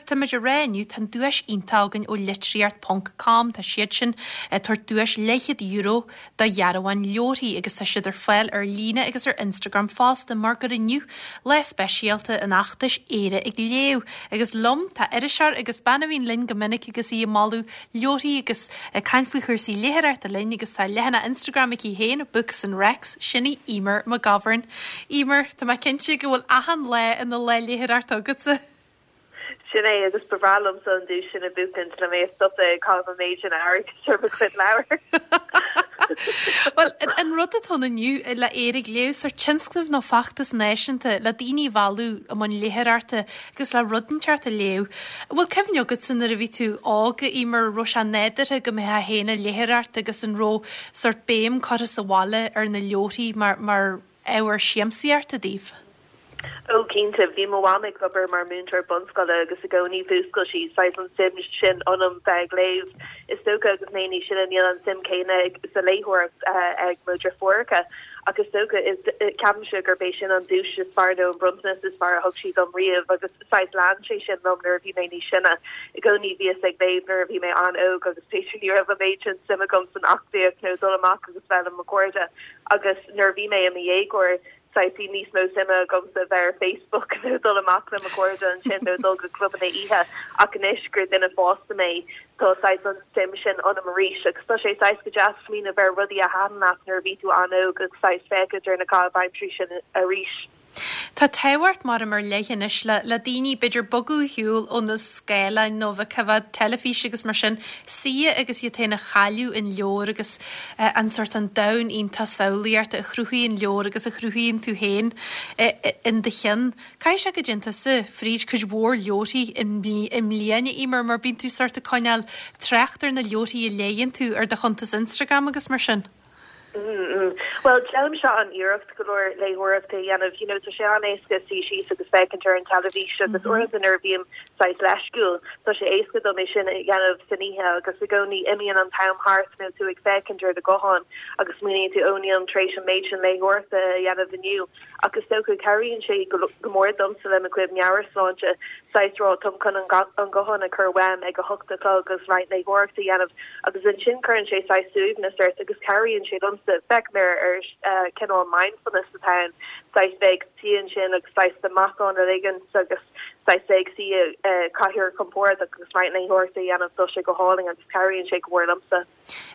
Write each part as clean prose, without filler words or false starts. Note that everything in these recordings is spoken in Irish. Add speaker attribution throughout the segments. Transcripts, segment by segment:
Speaker 1: táimid ag rá inniu, tá an duais iontach againn ó Litríocht ponc com, tá siad sin ag tabhairt duais leathchéad euro do dhearbháin leabharthaí agus tá siad ar fáil ar líne agus ar Instagram fosta mar gur inniu lá speisialta an fheachtais Éire ag Léamh agus liom tá iriseoir agus bean a bhíonn linn go minic agus í ag moladh leabharthaí agus ag caint faoi chúrsaí léitheoireachta linn agus tá leathanach Instagram aici féin, Books and Recs, sin í Eimear McGovern. Eimear, tá mé cinnte go bhfuil achan lá ina lá léitheoireachta agatsa.
Speaker 2: Sin é, agus ba bhreá liomsa an duais sin a bhuachaint le mé a stopadh ag caitheamh an méid sin airgid ar mo chuid leabhar.
Speaker 1: Bhuel, an rud atá ann inniu le Éire ag Léamh, sórt tionscnamh nó feachtas náisiúnta le daoine a mhealladh i mbun léitheoireachta agus le rud inteacht a léamh. An bhfuil cuimhne agatsa nuair a bhí tú óg, a Eimear, raibh sé nádúrtha go mbeifeá féin ag léitheoireacht agus an raibh sórt béim curtha sa bhaile ar na leabharthaí mar, mar ábhar siamsaíochta daoibh?
Speaker 2: Ó cinnte, bhí mo mham ag obair mar múinteoir bunscoile agus i gcónaí mhúscail sí saghas an suim sin ionam bheith ag léamh. Is dócha agus mé níos sine níl an suim céanna sa léitheoireacht ag mo dheirfiúracha ach is dócha is ceapaimse gurb é sin an duais is fearr nó an bronntanas is fearr a thug sí dom riamh agus saghas lean sé sin liom nuair a bhí mé níos sine. I gcónaí bhíos ag léamh nuair a bhí mé an-óg agus b'fhéidir ní raibh an méid sin suim agam san aclaíocht nó dul amach agus bheith le mo chairde agus nuair a bhí mé i mo dhéagóir saghas bhí níos mó suime agamsa bheith ar Facebook nó dul amach le mo chairde ansin nó dul go clubanna oíche ach anois gur duine fásta mé tá saghas an suim sin ionam arís agus tá sé saghas go deas smaoineamh ar rudaí a thaitin leat nuair a bhí tú an-óg agus saghas féachaint ar na caitheamh aimsirí sin arís.
Speaker 1: Tá tábhacht mar ar leith anois le le daoine b'fhéidir bogadh ar shiúl ó na scáileáin nó bheith ag coimhéad teilifís agus mar sin, suí agus iad féin a chailleadh in leabhar agus an sórt an domhan iontach samhlaíochta a chruthaíonn leabhar agus a chruthaíonn tú féin in do cheann. Caithfidh sé go dtéann tusa fríd cuid mhór leabharthaí i mbliain, a Eimear, mar bíonn tú sórt ag coinneáil trácht ar na leabharthaí a léigheann tú ar do chuntas Instagram agus mar sin.
Speaker 2: Bhuel, déanaimse an-iarracht go leor léitheoireachta a dhéanamh. You know, tá sé an-éasca suí síos agus féachaint ar an teilifís agus uaireanta nuair a bhím saghas leisciúil, tá sé éasca dom é sin a dhéanamh san oíche agus i gcónaí imíonn an t-am thart nó tú ag féachaint ar do ghuthán agus smaoiníonn tú, ó nílim tar éis an méid sin léitheoireachta a dhéanamh inniu. Ach is dócha, cabhraíonn sé go mór domsa le mo chuid meabhairshláinte, saghas rá, táim chun an guthán a chur uaim ag a hocht a chlog agus roinnt léitheoireachta a dhéanamh agus ansin cuireann sé saghas suaimhneas ort agus cabhraíonn sé liomsa, feicim ar ar cineál mindfulness atá ann, saghas bheith ag suí ansin agus saghas do matán a ligint agus saghas bheith ag suí i gcathaoir compordach agus roinnt léitheoireachta a dhéanamh, tá sé go hálainn agus cabhraíonn sé go mór liomsa.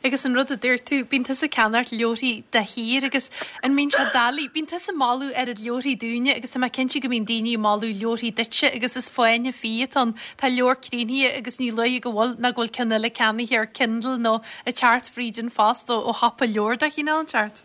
Speaker 1: Agus an rud a dúirt tú, bíonn tusa ag ceannacht leabharthaí de shíor agus an mbíonn sé doiligh, bíonn tusa ag moladh oiread leabharthaí dúinne agus tá mé cinnte go mbíonn daoine ag moladh leabharthaí duitse agus is fáinne fí atá ann, tá leabhar críochnaithe agus ní luaithe go bhfuil ná go bhfuil ceann eile ceannaithe ar Kindle nó ag teacht fríd an phost ó shiopa leabhar de chineál inteacht.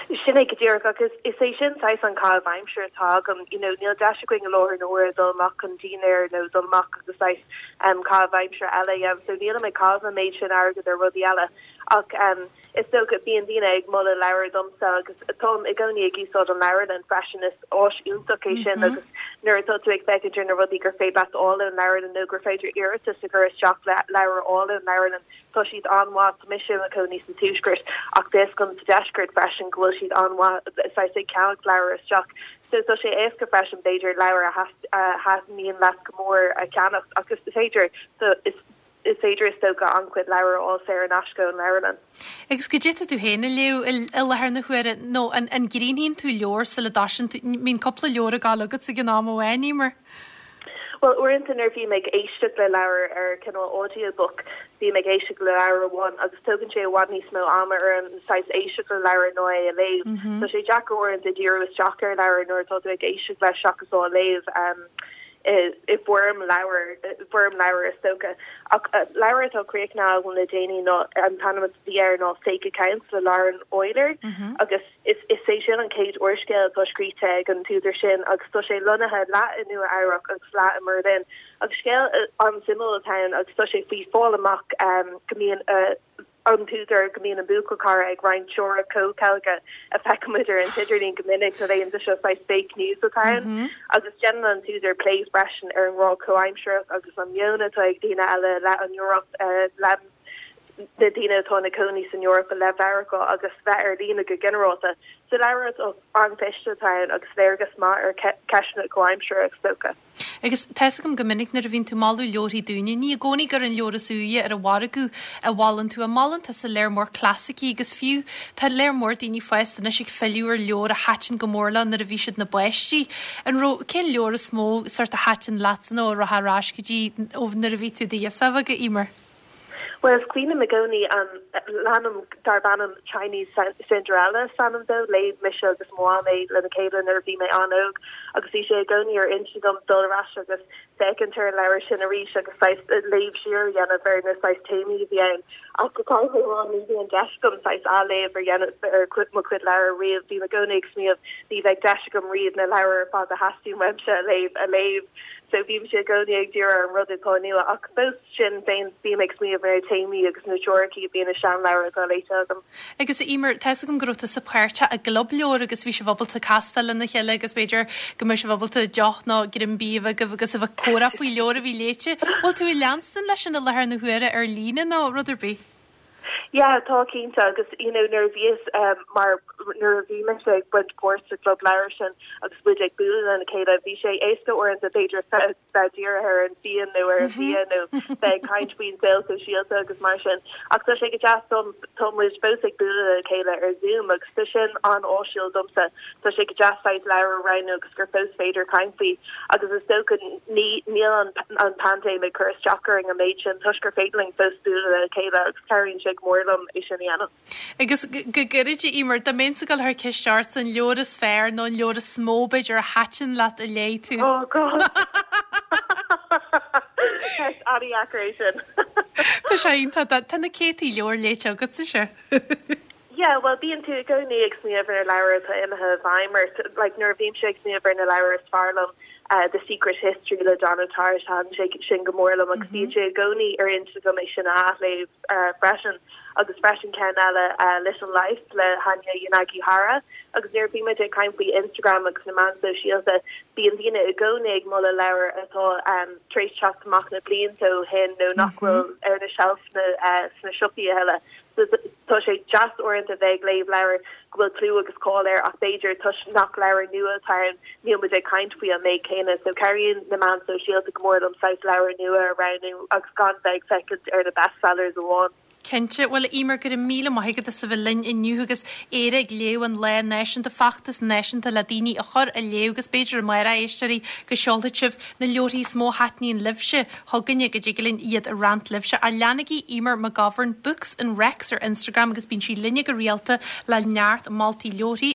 Speaker 2: Sin é go díreach agus is é sin saghas an caitheamh aimsire atá agam. You know, níl deis againn i láthair na huaire dul amach chun dinnéir nó dul amach agus saghas em caitheamh aimsire eile a dhéanamh so nílim ag caitheamh an méid sin airgead ar rudaí eile ach em is dócha bíonn daoine ag moladh leabhar domsa agus táim i gcónaí ag úsáid an leabharlann freisin is áis iontach é sin agus nuair atá tú ag féachaint ar na rudaí gur féidir leat a fháil ón leabharlann nó gur féidir iarratas a chur isteach le leabhar a fháil ón leabharlann Tá siad an-mhaith, tá mise i mo chónaí sa Tuaisceart ach tá fhios agam sa Deisceart freisin go bhfuil siad an-mhaith saghas ag ceannacht leabhar isteach. So tá sé éasca freisin b'fhéidir leabhar a thaitníonn leat go mór a cheannacht ach is féidir is is féidir is dócha an-chuid leabhar a fháil saor in aisce ón leabharlann.
Speaker 1: Agus goidé atá tú féin a léamh i láthair na huaire nó an an gcríochnaíonn tú leabhar sula dtosaíonn tú, mbíonn cúpla leabhar ag gabháil agat ag an am amháin, Eimear?
Speaker 2: Bhuel, uaireanta nuair a bhím ag éisteacht le leabhar ar cineál audiobook, bím ag éisteacht le leabhar amháin agus tógann sé i bhfad níos mó ama orm saghas éisteacht le leabhar ná é a léamh. Tá sé deacair uaireanta díriú isteach ar leabhar nuair atá tú ag éisteacht leis seachas á léamh i bhfoirm leabhair, i bhfoirm leabhair is dócha. Ach leabhar atá críochnaithe agam le déanaí ná, an t-ainm a bhí air ná Fake Accounts le Lauren Oyler agus, Is é sin an chéad úrscéal atá scríte ag an t-údar sin agus tá sé lonnaithe leath i Nua Eabhrac agus leath i mBerlin. Agus scéal an-suimiúil atá ann agus tá sé faoi fáil amach go mbíonn an t-údar, go mbíonn an buachaill cara ag roinnt teoiric comhcheilge a feicimid ar an t-idirlíon go minic na laethanta seo, saghas fake news atá ann. Agus déanann an t-údar plé freisin ar an ngrá comhaimsearach agus an meon atá ag daoine eile i leith an Eoraip, le. na daoine atá ina cónaí san Eoraip i leith Mheiriceá agus bheith ar líne go ginearálta. So leabhar atá an-chliste atá ann agus léargas maith ar cheisteanna comhaimseartha is dócha.
Speaker 1: Agus tá fhios agam go minic nuair a bhíonn tú ag moladh leabharthaí dúinne, ní i gcónaí gur an leabhar is úire ar an mhargadh a mholann tú, ach molann tusa lear mór clasaicí agus fiú tá lear mór daoine fásta anois ag filleadh ar leabhair a thaitin go mór leo nuair a bhí siad ina bpáistí. An raibh, cén leabhar is mó sort a thaitin leatsa nó a rachfá ar ais go dtí ó nuair a bhí tú i do ghirseach bheag, a Emer?
Speaker 2: Bhuel, is cuimhin liom i gcónaí an leanam darb ainm Chinese Cinderella is ainm dó. Léigh mise agus mo mham é lena chéile nuair a bhí mé an-óg agus bhí sé i gcónaí ar intinn agam dul ar ais agus féachaint ar an leabhar sin arís agus saghas léamh siar a dhéanamh ar na saghas téamaí a bhí ann. Ach go caithfidh mé a rá ní bhíonn deis agam saghas athléamh a dhéanamh ar mo chuid leabhar riamh. Bím i gcónaí ag smaoineamh ní bheidh deis agam riamh na leabhair ar fad a theastaíonn uaimse a léamh a léamh. So bímse i gcónaí ag díriú ar an rud atá nua ach fós sin féin bím ag smaoineamh ar na téamaí agus na teoiricí a bhíonn i seanleabhair atá léite agam.
Speaker 1: Agus a Emer, tá fhios agam go raibh tusa páirteach i gclub leabhar agus bhí sibh ábalta castáil lena chéile agus b'fhéidir go mbeadh sibh ábalta deoch nó greim bídh a bheith agaibh agus a bheith ag comhrá faoi leabhar a bhí léite. Bhfuil tú ag leanstan leis sin i láthair na huaire ar líne nó rud ar bith?
Speaker 2: Yeah, tá cinnte agus you know nuair a bhíos mar nuair a bhí mise ag baint páirt sa gclub leabhar sin agus muid ag bualadh lena chéile bhí sé éasca uaireanta b'fhéidir bheith dírithe ar an fhíon nó ar an bhia nó bheith ag caint faoin saol sóisialta agus mar sin ach tá sé go deas dom tá muid fós ag bualadh le chéile ar Zoom agus tá sin an-áisiúil domsa tá sé go deas saghas leabhar a roghnú agus gur fós féidir caint faoi agus is dócha ní níl an an paindéim ag cur isteach orainn an méid sin toisc gur féidir linn fós bualadh le chéile agus cabhraíonn sé go mór liom é sin a dhéanamh.
Speaker 1: Agus go gairid, a Emer, dá mbeinnse ag dul a chur ceist ort an leabhar is fearr nó an leabhar is mó b'fhéidir a thaitin leat a léigh tú?
Speaker 2: Oh God! Ceist an-dheacair é sin.
Speaker 1: Tá sé iontach. Tá na céadtaí leabhar léite agatsa, sea.
Speaker 2: Yeah, bhuel bíonn tú i gcónaí ag smaoineamh ar leabhair atá imithe i bhfeidhm ort. Like nuair a bhímse ag smaoineamh ar na leabhair is fearr liom, The Secret History le Donna Tartt, thaitin sé sin go mór liom agus bíonn sé i gcónaí ar intinn agam é sin a athléamh freisin. Agus freisin ceann eile, Little Life le Hanya Yanagihara. Agus nuair a bhímid ag caint faoi Instagram agus na meáin sóisialta, bíonn daoine i gcónaí ag moladh leabhar atá tar éis teacht amach na blianta ó shin nó nach bhfuil ar na seilfeanna sna siopaí a thuilleadh. Tá sé deas uaireanta bheith ag léamh leabhar go bhfuil clú agus cáil air ach b'fhéidir toisc nach leabhar nua atá ann níl muid ag caint faoi an méid céanna so cabhraíonn na meáin sóisialta go mór liom saghas leabhar nua a roghnú agus gan bheith ag féachaint ar na bestsellers amháin.
Speaker 1: Cinnte. Bhuel, a Emer, go raibh míle maith agat as a bheith linn inniu agus Éire ag Léamh an lá náisiúnta, feachtas náisiúnta le daoine a chur ag léamh agus b'fhéidir amárach, a éisteoirí, go seolfaidh sibh na leabharthaí is mó a thaitníonn libhse chugainne go dtig linn iad a roinnt libhse. Ach leanaigí Emer McGovern, Books and Recs ar Instagram agus bíonn sí linne go rialta le neart moltaí leabharthaí.